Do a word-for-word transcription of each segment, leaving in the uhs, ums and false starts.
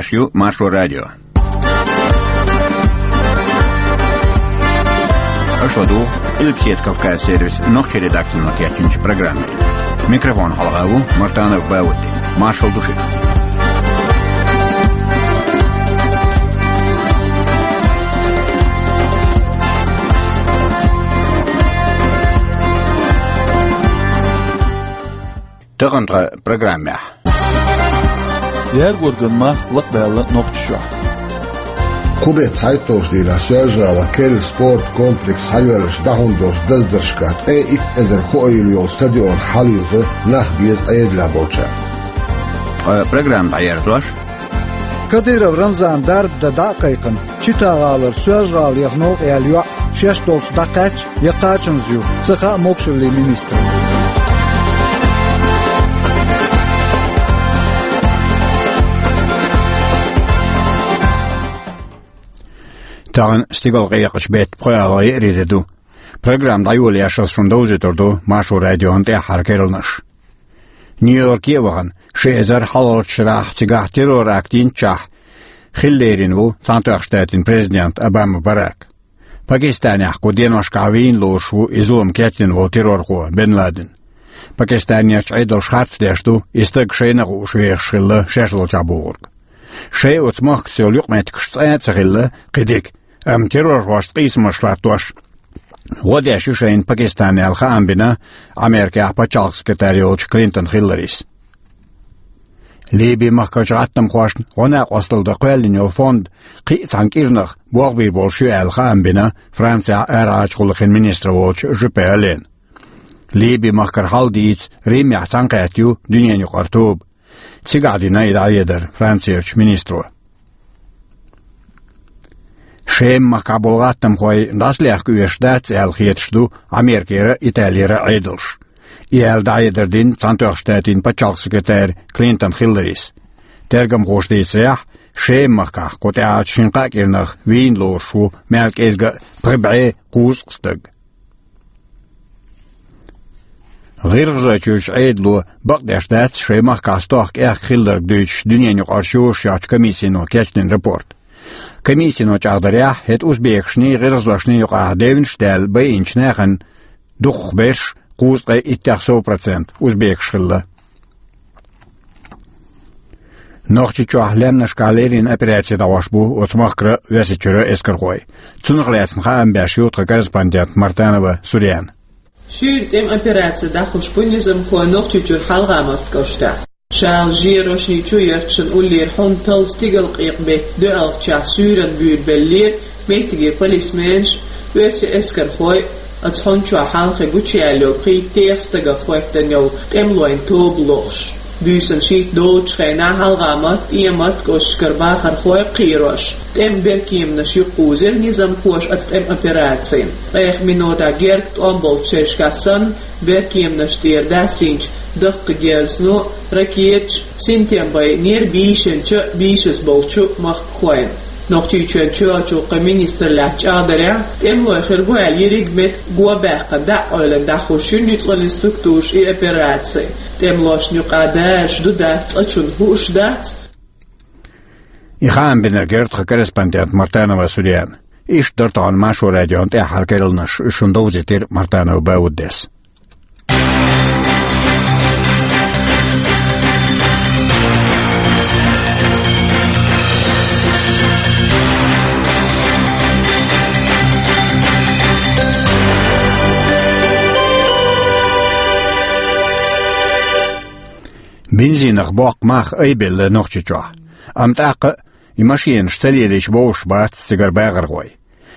Аш ю Маршо радио. Аша ладугӀу Къилбаседа Кавказ сервисан нохчийн редакцино кечйинчу программе. Микрофон хьалха ву Мартанов Баудди. Маршалла ду шуьга. Тахана тхан программехь. Яргорган мах лакхабаьлла Нохчийчохь. Кху беттан цхьайтталгӀачу дийнахь Соьлжа-ГӀалахь керла спорт комплекс схьайоьллачу дӀахьун долчу даздаршкахь ткъе итт эзар хоийла йолу стадион хьалаюзу нах беза Ӏедалехь болчара. Ткъа программа дӀаерзош. Кадыров Рамзан дарба дан дӀа а кхайкхина, Чита-гӀалара Соьлжа-ГӀала яха новкъа яьлла йоӀ шаьш долчу дӀакхаьчча я кхачанза ю, ца хаьа могушаллин министрна. Тахана стигалкъекъачу беттан пхоьалгӀа еарин де ду. Программа дӀайолош аса шуна довзуьйтур ду Маршо радион тӀаьххьара керланаш. Нью-Йорке а вахана, ши эзар хьалхарчу шарахь цигахь террор-акт йинчохь хила лерина ву Цхьаьнатоьхначу Штатийн президент Обама Барак. Пакистанехь кху деношкахь вийна лоруш ву и зулам кечдина волу террорхо Бен Ладен. Пакистанерчу Ӏедалша харц деш ду, и стаг шайна а хууш вехаш хилла шаьш долчохь бохург. Шайн оцу махкаца йолу юкъаметтигаш цкъа а ца хилла кхин дика, амма террорхошца къийсамаш латтош гӀо деш ю шайна Пакистан аьлла хаам бина Америкехь пачхьалкх секретарь йолчу Клинтон Хилларис. Ливи-махкарчу гӀаттамхошна гӀо-накъосталла дан кхоьллина йолу фонд кхин а цхьана кӀирнах болх бийр болуш ю аьлла хаам бина Францехь арахьарчу гӀуллакхийн министр волчу Жюпе Алена. Ливи-махкара хьал дийца Римехь цхьаьнакхетта ю дуьненан юкъара тоба. Цигахь дина и дӀахьедар Францерчу министро. Шема-махкахь болу гӀаттамхой дӀасалехка оьшуш дац аьлла хеташ ду Америкера а, Италера а Ӏедалш. И аьлла дӀахьедар дина Цхьаьнатоьхначу Штатийн пачхьалкх секретарь Клинтон Хилларис. Тергамхоша дийцарехь, Шема-махкахь кху тӀаьхьарчу шина-кхаа кӀирнах вийна лоруш ву мел кӀезга а пхи бӀе кхузткъа стаг. ГӀиргӀазойчуьрчу Ӏедало бакъдеш дац шайн махкахь стохка аьхка хилларг дуьйцуш дуьненан юкъара шораш йохчу комиссино кечдина рапорт. Комиссино чӀагӀдарехь, хӀета узбекашний, гӀиргӀазошний юкъахь девнаш а даьлла байинчу нахана дукхахберш, кхузткъе иттех сов процент, узбекаш хилла. Нохчийчохь лаьмнашкахь леррина операци дӀахьош бу оцу махкара а, Оьрсийчуьра а эскархой. Цунах лаьцна хаам беш ю тхан корреспондент Мартанова Сурьяна. Шуьйра тӀеман операци дӀахьош бу низамхой Нохчийчуьра ХьалгӀа-Марта кӀоштахь. Шала жерошний чу ярташна уллера хьун талла стигалкъекъа беттан доьалгӀачохь суьйранна буьйлабеллера меттигера полисменаш а, оьрсийн эскархой а. Оцу хьун чохь хьалхе гучуяьлла йолу пхийтта техьа стагах хоьттина йолу тӀемалойн тоба лохуш. Буьйсанна шийтта долучу хенахь ХьалгӀа-Марта, ТӀеман-Марта кӀошташкара бахархой а кхерош, тӀеман беркеманаш юкъакхузира низамхоша оцу тӀеман операцина. Ткъех минотехь герга тӀом болчу шерашкахь санна, беркеманаш тӀера даьссинчу даккхий герзано а, ракеташ а синтем байинера бийшинчу а, бийшаза болчу а махкахойн. Нохчийчоьнан чоьхьарчу гӀуллакхийн министраллехь чӀагӀдарехь, тӀемалой хир бу аьлла ерриг меттиг го баьккхина дӀа а къевлина дӀахьош ю нуьцкъаллин структураш и операци. ТӀемалошна юкъахь даржаш ду, дац, цкъачунна хууш дац. И хаам бинарг яра тхан корреспондент Мартанова Сурьяна. Иштта дара тахана Маршо радион тӀаьххьара керланаш, шуна довзийтира Мартанова Бауддис. Бензинах боккху мах айбелла Нохчийчохь. Амма тӀаккха а и машенаш ца лелийча бовзуш бац цигара бахархой.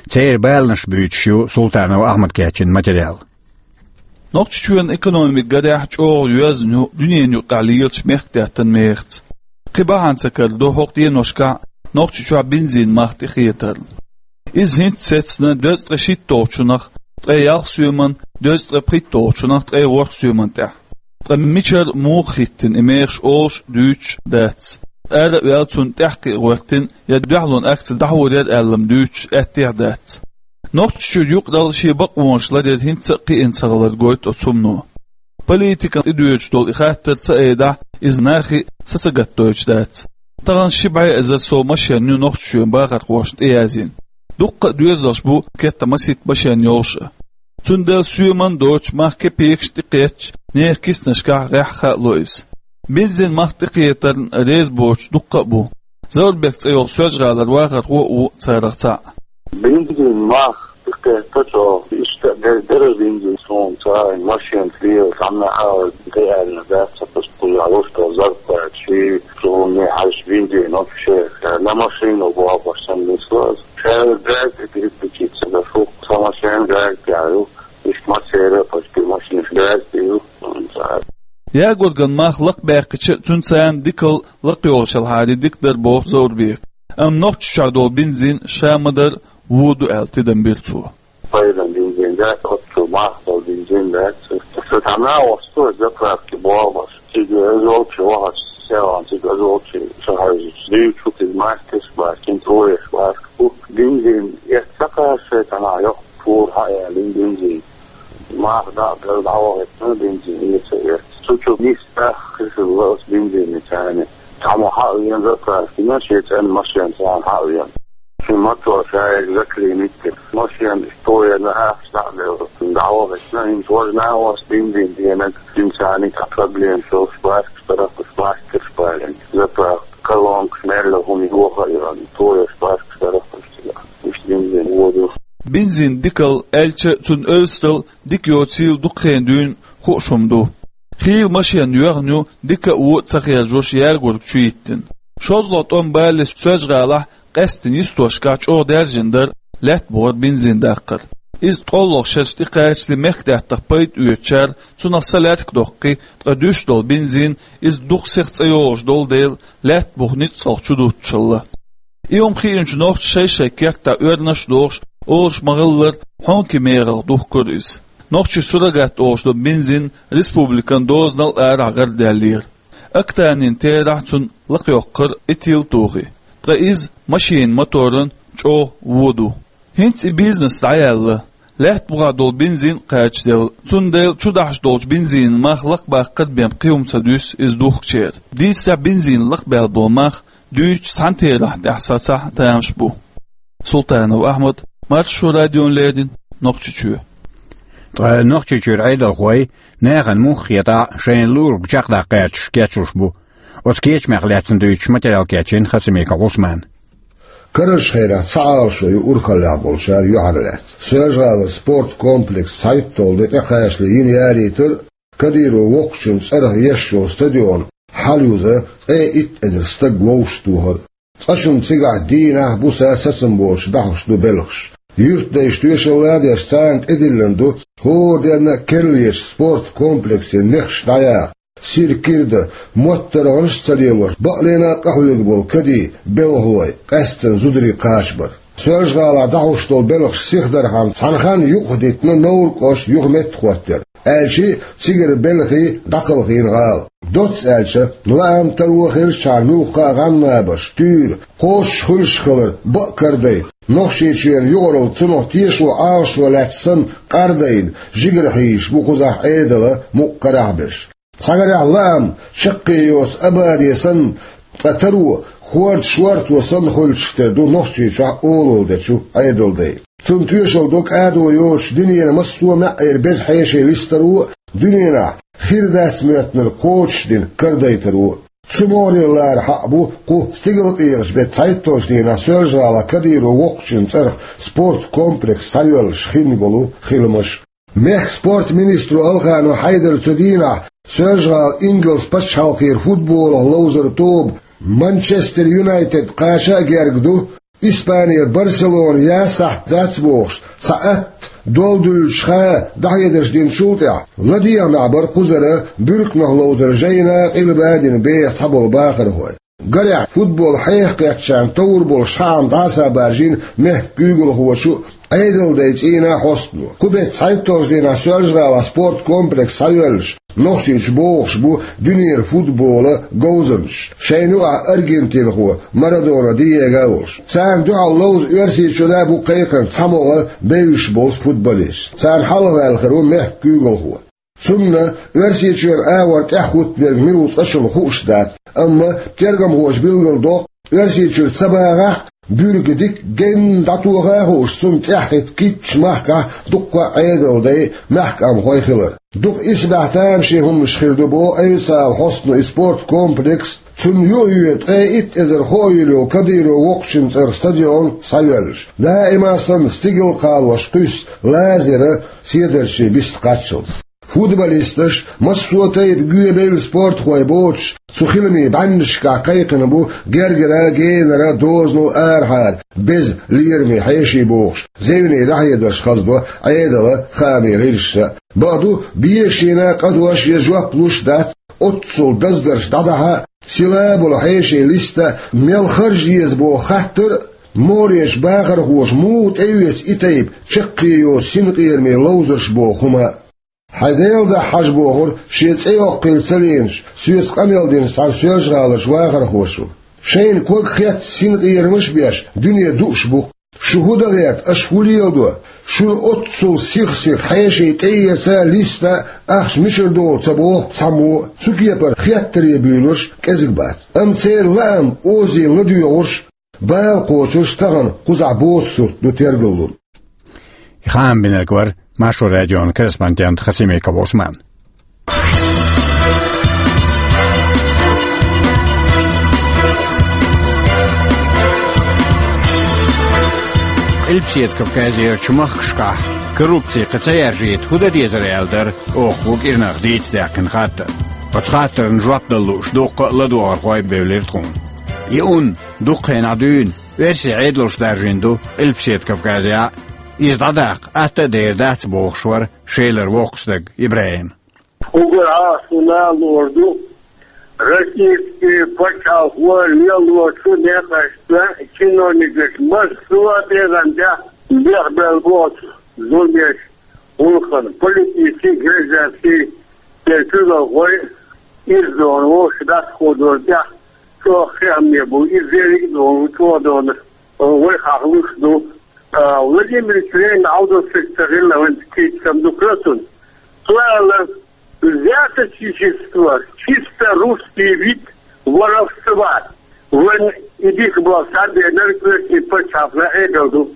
Церан баланаш буьйцуш ю Султанов Ахьмада кечйина материал. Нохчийчоьнан экономика гарехь чӀогӀа йоьзна ю дуьненан юкъахь лелачу мехкдаьттан мехаца. Кхин бахьана ца карадо хӀокху деношкахь Нохчийчохь бензин мах тӀехетарна. Иза хӀинца сецна дезткъе шийтталгӀачунах ткъе ялх соьман, дезткъе пхийтталгӀачунах ткъе ворхӀ соьман тӀехь. Ткъа мичара, муха хӀиттина и мехаш олуш а, дуьйцуш а дац. Ара а ваьлла, цунна тӀаьхьакхиа гӀоьртина я дуьхьалонан акци дӀахьур яра аьлла-м дуьйцуш а, аьттехьа дац. Нохчийчуьра юкъаралла шен бакъонаш ларъяр хӀинца а кхиъна ца хилар гойту оцу хӀумано. Политикана тӀедоьдуш долу и хаттар ца айдахь, иза нахе а са ца гатдойтуш дац. Тахана ши бӀе эзар сов машен ю Нохчийчоьнан бахархошна тӀеязйина. Дуккха а доьзалш бу, кхетта масийтта машен йолуш а. Цундела соьман доцуш, мах кепекаш тӀекхетча, нехан киснашкахь гӀеххьа а ло иза. Бензин мах тӀекхетарна реза боцуш дуккха а бу. Заурбек цӀе йолу Соьлжа-ГӀалара вахархо а ву царах цхьаъ. Бензин мах тӀекхетта чӀогӀа, иштта а дер-, дерриг бензин суна цара машен лела, цхьанна а тӀеаьлла дац, ца пуст кхузахь луш долу зарплата, ши, суна хьаьжча бензин вообще, на машину бохуш санна нисло аса. Ша газа тӀе дириг бичи ца дашу, сан машен газа тӀехь ю, иштта массеран а почти машинаш газа тӀе ю. Ягорган мах лакхабаьккхича а, цуьнан царна дикал лакхайогӀучу хьалхара дика дара боху Заурбека. Амма Нохчийчохь долу бензин ша ма-дарра вон ду аьлла тидам бира цо. Пайдан бензин дац, оццул мах долу бензин дац. Ша цхьа накъост ву заправке бохуш. Цига азолчу вахаш, селан цига азолчу шахьарчу дуьйцу, цига мастер бац, кин троеш бац. Бензин эцна ца кхаьчча, шайтана йоккха пур хьаэалина бензин. Мах дӀа а белла дӀавахийтина бензин эца а эцна. Цу чу нисса хир хилла аса бензине царна. Цхьаммо хьа а веана заправкина, шен цӀенна машен царна хьа а веана. Шен мотор ша яга заклинить дира. Машен тоена ахча дӀа а белла, дӀавахийтина, хӀинца важа накъост бензин денаг, цуьнан царна цхьа проблема шолуш, баьркаш дарах уьш, мастерш балийна. Заправка, колонкаш, мелла хӀума йоха а йоьллина, тоеш баьркаш дарах уьш цигахь. Уьш бензин вон ду. Бензин дикал аьлча, цуьнан оьрсарал дика йоцийла дукха хенахь дуьйна хууш хӀума ду. Хийла машен йоьхна ю, дика а, вон а ца хержош, Ягорга чу йиттина. ШозлагӀа тӀом балале Соьлжа-ГӀалахь къаьсттина йистошкахь чӀогӀа даьржина дара лаьттабухара бензин даккхар. Иза ткъолгӀа шераш тӀекхачале мехкдаьттах пайда оьцучара цунах са лаьрракдоккху, ткъа дуьсуш долу бензин иза дукха сиха цӀа йогӀуш долу дела, лаьттабух ницкъалх чу дуттушалла. И хӀума хиъначу нохчаша шай-шайн кертахь оьрнаш а дохуш, олуш ма-хиллара, хьонкийн мехах духкура иза. Нохчийн суррогат олуш долу бензин республикан дозанал а арахь гӀардаьллера. Октанийн терахь цунна лакхайоккхура этил а тухий, ткъа иза машенан моторан чӀогӀа вон ду. ХӀинца и бизнес дӀаяьлла, лаьттабухахь долу бензин а кхачаделла, цундела чудахьаш долчу бензинан мах лакхабаккхар бен кхин хӀума ца дуьсу иза духкучеран. Дийцарехь, бензин лакхабаьлла болу мах дуьйцучу цхьана терахь тӀехь сацахь а тамаш бу. Султанов Ахьмад, Маршо радиона леррина, Нохчийчоь. Ткъа Нохчийчуьра Ӏедалхой нахана муха хетахь а шайна луург чекхдаккха гӀерташ кечлуш бу. Оцу кечамех лаьцна дуьйцуш материал кечйина Хасимиков Ӏусмана. Карарчу хенахь цхьа Ӏалашо ю урхаллехь болчара юьхьарлаьцна. Соьлжа-ГӀалара спорт комплекс цхьайтталгӀа де тӀекхачале йина ярийтар а, Кадыров воккхачун цӀарах еш йолу стадион хьалъюза ткъе итт эзар стаг вовшахтохар а. Цкъачунна цигахь дийнахь а, буса а сацам боцуш дӀахьош ду белхаш. Юьртдайша тоьшалла а деш, царна тӀедиллина ду хӀора денна а керлачу спорт комплексан нехаш дӀаяха. Сиркирда, моттаргӀанаш а ца лелош, бакълена а къахьоьгуш болу кадий, белхалой, къаьсттина зударий кхачабар. Соьлжа-ГӀалахь дӀахьош долу белхаш сихдархьама, цхьана ханна юкъахдитина Новр-кӀоштан юха меттахӀоттар, аьлча а, цигара белхий дӀакхалхийна гӀала. Доцца аьлча, лаам, таро хилчахьана муьлхха а гӀан-набарш, туьйра, кхочуш хуьлуш хилар бакъ кардайта, Нохчийчоьнан юкъаралла цунах тешо Ӏалашо лаьцна санна къардайна, жигара хьийзаш бу кхузахь Ӏедалан мукъа карахь берш. Цхьагарехь лаам чаккхе йоцу абаре санна, ткъа таро хӀорда шорто санна хуьлуш тера ду Нохчийчохь олалла дечу Ӏедалдайн. Цунна тоьшалла до кӀадо йоцуш дуьненан массо а маьӀӀера беза хьеший листаро а, дуьненахь хир дац моьттинарг кхочушдина кардайтаро а. Цу могӀарера лара хьакъ бу кху стигалкъегӀаш беттан цхьайтталгӀачу дийнахь Соьлжа-ГӀалахь Кадыров воккхачун цӀарах спорт комплекс схьайоьллуш хинна болу хиламаш. Мехкан спорт министро Алханов Хьайдара цу дийнахь Соьлжа-ГӀала ингалс пачхьалкхера футболах ловзаран тоба Манчестер Юнайтед кхача а герга ду, Испанера Барселона ян сахьт дац бохуш, цхьа атта долдуьллучу хан дӀахьедарш динчул тӀаьхьа, ладегӀамехь бара кхузара буьрканах ловзаран жайна а, къилба а дина беха цхьаболу бахархой. Гарехь, футбол хьеха кхеттачарна товр болуш хаам дӀаса а баржийна мехкан куьйгалхочо а, Ӏедалдайн цӀийнан а хьостано. Кху беттан цхьайтталгӀачу дийнахь Соьлжа-ГӀалахь спорт комплекс схьайоьллуш, Нохчийчу богӀуш бу дуьненан футболан говзанчаш, шайна юкъахь аргентинхо Марадона Диего а волуш. Царна дуьхьал ловза Оьрсийчоьнан а бу кхайкхина цхьа могӀа бевзаш болу футболисташ. Царна хьалхаваьлла хир ву мехкан куьйгалхо. Цунна Оьрсийчоьнан агӀор тӀаьхьахӀуттаберг мила ву цкъачунна хууш дац, Амма тергамхоша билгалдоккху, Оьрсийчуьра ца багӀахь а, буьрг дика генна дӀатоха а хууш, цунна тӀаьхьахӀитта кхыччу махкахь дуккха а Ӏедалан дай, мехкан къомхой хилар. Дукха исбаьхьа тамашийна хӀуманаш хир ду боху Айсала хьостано и спорткомплекс, цунна юхайоьду ткъе итт эзар хоуьйлу йолу Кадыров воккхачун цӀарах стадион схьайоьллуш. Даима санна стигала кхалош кхуьссу лазара седарчийн бист кхаччалц. Футболисташ, массо а тайпа гоьбевлла спортхой боцуш, цу хиламийн бӀаьннашкахь кхайкхина бу гергара, генара, дозанал арахьара, беза лераме хьеший бохуш, зевне дӀахьедарш хазадо Ӏедалан, хаамийн гӀирсаша а. Бакъду, бешана къа дош я жоп луш дац оццул даздарш дӀадахьа а, сила болу хьешийн листа мел харжа еза боху хаттар а, мореш бахархоша муха тӀеоьцу и тайпа чаккхе йоцу синкъерамийн ловзарш боху хӀума а. Хьайн Делан дуьхьа хьажа бохура шен цӀе йоккхийла ца лийнаш, соьца къамел динчу цхьана Соьлжа-ГӀаларчу вахархоша. Шайна ког хетта синкъерамаш а беш, дуьне дууш бу-кх. Шу хӀун дан гӀерта, аша хӀун леладо? Шуна оццул сих-сиха хьеший тӀеэца а, листа а, ахча мичара догӀу ца боху цхьаммо а. Цу кепара хеттаре буьйлурш кӀезиг бац. Амма церан лаам озийла ладоьгӀурш, бала кхочурш тахана кхузахь боцу сурт ду тергаллун. И хаам бинарг вара Маршо радион корреспондент Хасимиков Усман. Къилбаседа Кавказерчу махкашкахь коррупци кхин ца яржийта хӀун дан дезара аьлла дара оха кӀирнах дийца даьккхина хаттар. Оцу хаттарна жоп дала лууш дуккха а ладогӀархой бевлира тхуна. И ун дуккха хенахь дуьйна оьрсийн Ӏедалша даржийна ду Къилбаседа Кавказехь а. Иза дӀадаккха атта а дер дац бохуш вара Шелара воккхачу стага ИбрахӀим. Уггар Ӏа суна лор ду, российский пачхьалкхо лелочу некъашца чиновникаш массо а тӀегӀан тӀехь бехбелла боцу зуламеш, гӀуллакхана политический, гражданский, церан куьйгалхой, иза дона вовшах дӀасаходор тӀехь чӀогӀа хиамне бу, иза дерриг а дона чӀогӀа дона вай хьахлуш ду. А, Владимир Ильич Ленин Ӏалдосиг ца хилла вайн кийчам ду кхоьцун. Цо аьлла, взяточничество, чисто русский вид воровства. Вайн и дика боху схьабеанарг оьрсийн пачхьалкхна Ӏедал ду.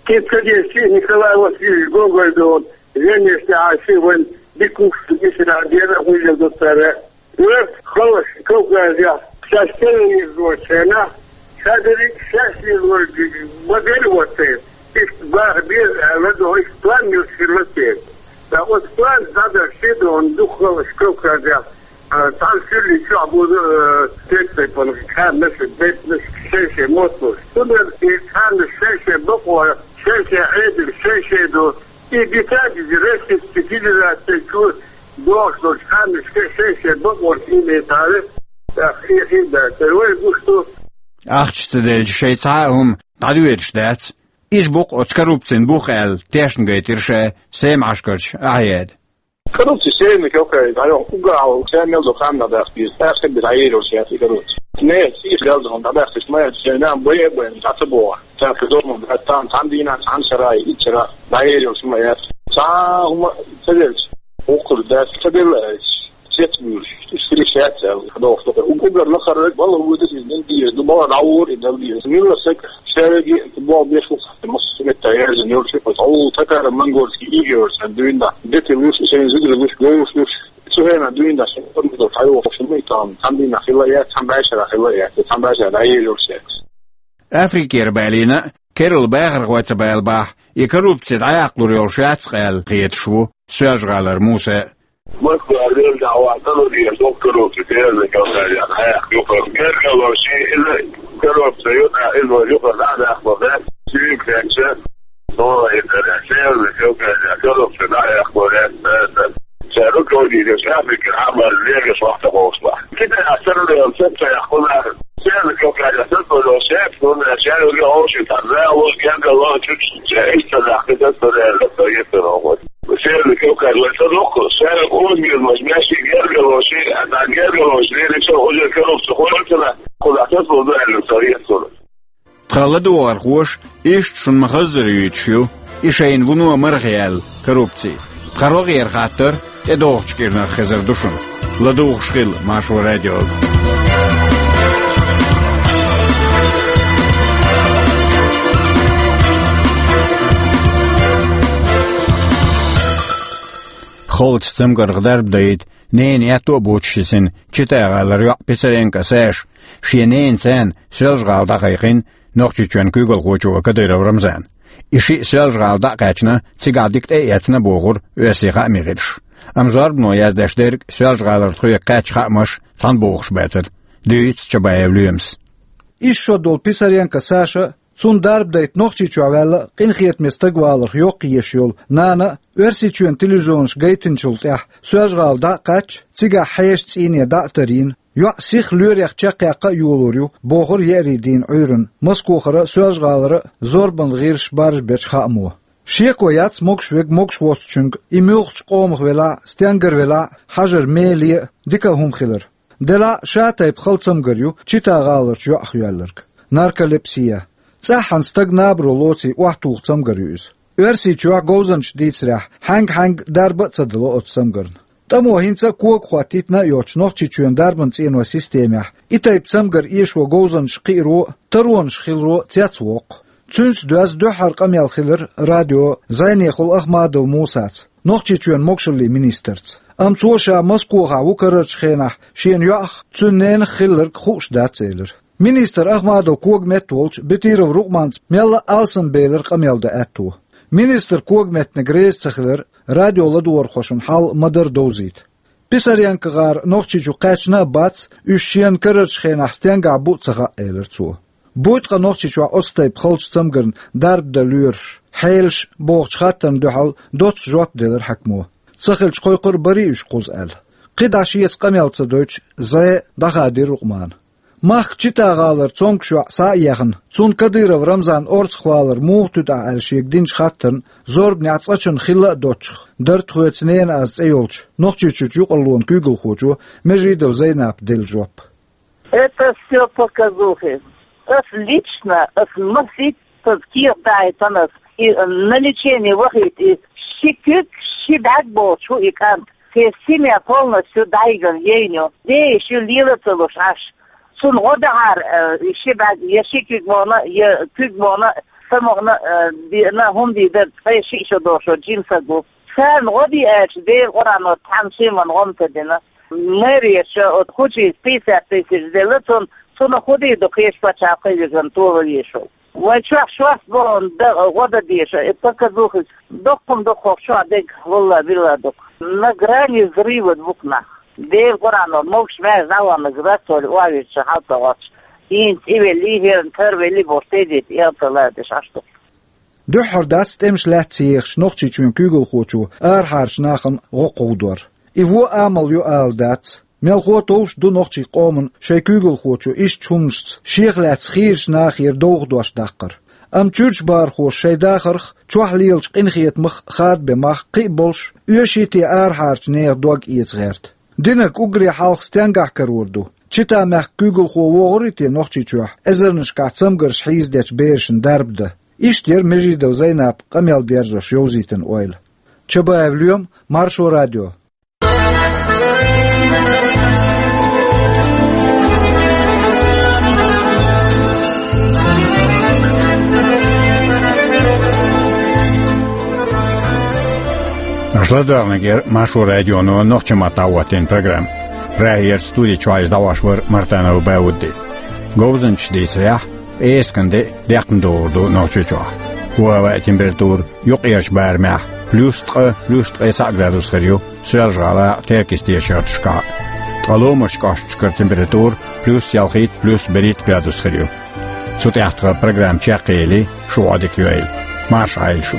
Кхин ца деза шиъ Николай Васильевич Гоголь ду, веннаш тӀехь шиъ вайн дика хӀуш ду, ишта дера а гӀуьйлла ду цара. Оьрсаша халлаш Кавказехь шаьш терроризм йоцучу хенахь, ша дерриг шаьш лелориг ма-дарра вацара. Иштта баха беза аьлла, но иштта план йолуш хилла церан. Ткъа оцу план дӀадахча шен догӀу дукха халлаш Кавказехь, а, цхьана суьрлийн чохь бузу, а, цхьана тайпана кхаьрнаш, бейтанаш шай-шай мотталуш. Цундела и кхаьрнаш шай-шай бакъо, шай-шай Ӏедал, шай-шай ду. И дитадизи Российский Федераци чу дохуш долчу ханнашка шай-шай бакъонаш имейтаре, тӀаккха и хин дац. Вай гуш ду. Ахча ца делча шайн цхьа а хӀума дӀадоьдуш дац. Иза бу-кх оцу коррупцин бух аьлла, тешна гайтира ша Семашкарчу Ахьеда. Коррупция сенна кокай, дӀайо, уггар хьалха сен мел ду ханна даха деза, тӀаккха бен дӀаер йолуш яц и коррупция. Не, сийх галдахана дӀадахча, ма яц, шен нам бай а байна, дӀа ца боху. Цаьрца догӀман баьттан, цхьана дийнахь, цхьана шарахь, итт шарахь дӀаер йолуш ма яц. Цхьа хӀума ца делча, воккхар дац, ца делла аьлча, сец буьйлуш, уьш хила йиш яц аьлла, дохуш ду. Уггар лакхара балха вуьйдуш иза дина деза, ду бала дӀавора и дала деза. Милла саг шаьрги боху беш ву, массо а метта яьржина йолуш, тхо гӀуллакх татаро-монгольский ига йолуш, сан дуьйна дӀа. Деталуш, шайн зударалуш, говлуш, цу хенахь дуьйна дӀа, шайн форма долу хьайохуш, муьйтан, цхьана дийнахь хила яц, цхьана бӀешарахь хила яц, цхьана бӀешарахь дӀаер йолуш яц. Африкера балийна а, керла бахархой ца бала бахь, и коррупци дӀаяккхалур йолуш яц-кх аьлла хеташ ву Соьлжа-ГӀалара Муса. Москва лерга а вахана, докторовцы, серьезно, Кавказе дӀаяккха юкъара. Гергарло шен иза коррупция ю, иза вай юкъара дӀа а даккхалур дац. Шуьга хетча, Ола и дара, серьезно, Кавказе коррупция дӀа а яккхалур дац, дац, дац. Ша руководитель Африки, Ӏамал лерга вахта бохуш бахь. Китай а саррал сацаяккхур нах. Сенна Кавказе сацо шаьш, хӀунда аьлча ша юьгу хьоший цхьа зала, гергарло чуьра, ша иштта нах кхин сацо аьлла, со еттар вахана. Сенна Кавказ вай ца доккху, ша юьгу озабезамаш, маьший гергарло ши, а цхьа гергарло ши, леррича уже коррупция хӀунда ца нах, кхузахь сацо ду аьлла, со еттар. Тхан ладогӀархоша иштта шуна ма-хаззара юьйцуш ю и шайна вуно марха яьлла коррупци. Тхан рогӀера хаттар тӀедогӀучу кӀирнах хезар ду шуна. ЛадугӀуш хила Маршо радиога. Кхоллачу цамгарх дарба дайта ненан аьтто а боцуш йисина Чита-гӀалара йоӀ Писаренко Саша шен ненан царна Соьлжа-ГӀала дӀакхайкхина Нохчийчоьнан куьйгалхочо Кадыров Рамзана. И шиъ Соьлжа-ГӀала дӀа а кхаьчна, цигахь дика тӀе а эцна бохура оьрсийн хаамийн гӀирсаша. Амма зорбано яздеш дерг Соьлжа-ГӀалара тхоьга кхаьчна хаамаш цхьаьна бохуш бацара. Дуьйцу Чабаев Лоьмас. Исс шо долу Писаренко Саша, цунна дарба дайта Нохчийчохь ваьлла а, къинхетаме стаг валарх йоккха езаш йолу нана а, Оьрсийчоьнан телевизионаша гайтинчул тӀаьхьа Соьлжа-ГӀала дӀа а кхаьчча, цигахь хьешан цӀийне дӀа а тарйина, йоӀ сиха лоьрех чекхъяккха а йолор ю, бохура еарин дийнан Ӏуьйранна Москохара а, Соьлжа-ГӀалара а зорбанан гӀирсаша баржабечу хаамо. Шеко яц могуш верг могуш воцучуьнга, и муьлххачу къомах велахь а, стенгара велахь а, хьажар меле а, дика а хӀума хилар. Делахь а, ша тайпа хала цамгар ю Чита-гӀаларчу йоӀах йоьлларг — нарколепсия. ЦӀаххьана стаг набаро лоций охьатуху цамгар ю иза. Оьрсийчохь говзанчаша дийцарехь, хьаьнга-хьаьнга дарба а ца дало оцу цамгарна. ТӀамо хӀинца а кога хӀоттийтина а йоцуш, Нохчийчоьнан дарбан цӀенойн системехь и тайпа цамгар эшо говзанчаш кхиаро а, таронаш хиларо а цецвоккху. Цуьнца доьзна дуьххьара къамел хилира радион зӀенехула Ахмадов Мусаца, Нохчийчоьнан могушаллин министрца. Амма цо ша Москохахь ву карарчу хенахь шена йоӀах, цуьнан ненах хилларг хууш дац элира. Министр Ахмадов когаметта волчу Бетиров Рукъманца мелла а алсамбелара къамел дан аьтто. Министр когаметтаниг реза ца хилар радион ладогӀархошна хьал ма-дарра довзийта. ПисаренкогӀар Нохчийчу кхаьчна а бац, уьш шена карарчу хенахь стенгахь бу а ца хаьа, элира цо. Буй ткъа Нохчийчохь оцу тайпа халчу цамгарна дарба дан лоьруш, хьелаш бохучу хаттарна дуьхьал доцца жоп делира хьаькамо. Ца хилча, кхойкхур а барий уьш кхуза аьлла. КхидӀа шеца къамел ца дойтуш, зӀе дӀахадийра Рукъмана. Махка Чита-гӀалара цомгуш йоӀ схьа а ехна, цунна Кадыров Рамзан орцахвалар муха туьту ахь аьлла шега динчу хаттарна зорбанехь цкъачунна хилла а доцчух, дара тхоьца ненан аз цӀе йолчу Нохчийчуьрчу юкъараллин куьйгалхочо Межидова Зайнапа делла жоп. Это всё показухи. Ас лично, ас масийтта кехат даийтина ас, и на лечение вахийта и ши куьг, ши бӀаьрг боцуш ву и кӀант. Те семья полностью дӀайигна ейна ю. Де и ши лела ца луш Ӏаш. Цунна гӀо дахьара, э, и ши бӀаьрг, я ши куьг мо хӀума, я куьг мо хӀума, са мо хӀума, э, деана, хӀума дийр дара, ткъе шиъ шо долуш жима саг ву. Царна гӀо де аьлча, Делан Къуръано цхьана шимма гӀо ма ца дина. Мэрияша оцу хучийца пятьдесят тысяч делла цунна, цунах хӀун дийр ду кхечу пачхьалкхе вигна тола везаш волу. Вайн чохь шорта бохург дан, гӀо дан дезаш, и показухи доккхум дукхох чохь дерг, валла-билла, дукха. На грани взрыва бу-кх нах. Делан Къуръано, могуш-маьрша дӀаваханарг рацолла охьавирзича хьал ца гӀоттуш, хӀинца и велли, хӀеран тара велли бохуш, тедийта, элта лардеш Ӏаш ду. Дуьххьара дац тӀемаш лаьцна ехачу Нохчийчоьнан куьйгалхочо арахьарчу нахана гӀо кховдор. И вон амал ю ала дац. Мелхо а товш ду нохчийн къоман шайн куьйгалхочо иштта хӀуманашца шех лаьцна хийрачу нахера довха дош даккхар. Амма чуьрчу бахархоша шайн дахарх, чохь лелачу къинхетамах хадабен мах кхин а болуш, оьший те арахьарчу нехан дог эца гӀерта. Динарг уггаре хьалха стенгахь карор ду? Чита-мехкан куьйгалхо вогӀур вуй те Нохчийчохь эзарнашкахь цамгарш хьийзадечу берашна дарба дан? Иштта яра Межидова Зайнапа къамел дерзош йовзийтина ойла. Чабаев Лоьма, Маршо радио. Аша ладоьгӀнарг яра Маршо радионо нохчийн маттахь дӀахӀоттийна программа. Прагера студи чохь иза дӀахьош вара Мартанов Баудди. Говзанчаша дийцарехь, пӀераскан де декхна догӀур ду Нохчийчохь. Вон хӀаваан температура юккъерчу барамехь плюс ткъа, плюс ткъе цхьаъ градус хир ю Соьлжа-ГӀалахь а, Теркйистера шахташкахь а. Ткъа ломашчу кӀошташкара температура плюс ялхитта, плюс берхӀитта градус хир ю. Цу тӀехь тхан программа чекхъели, шу Ӏодика йойла. Марша Ӏойла шу.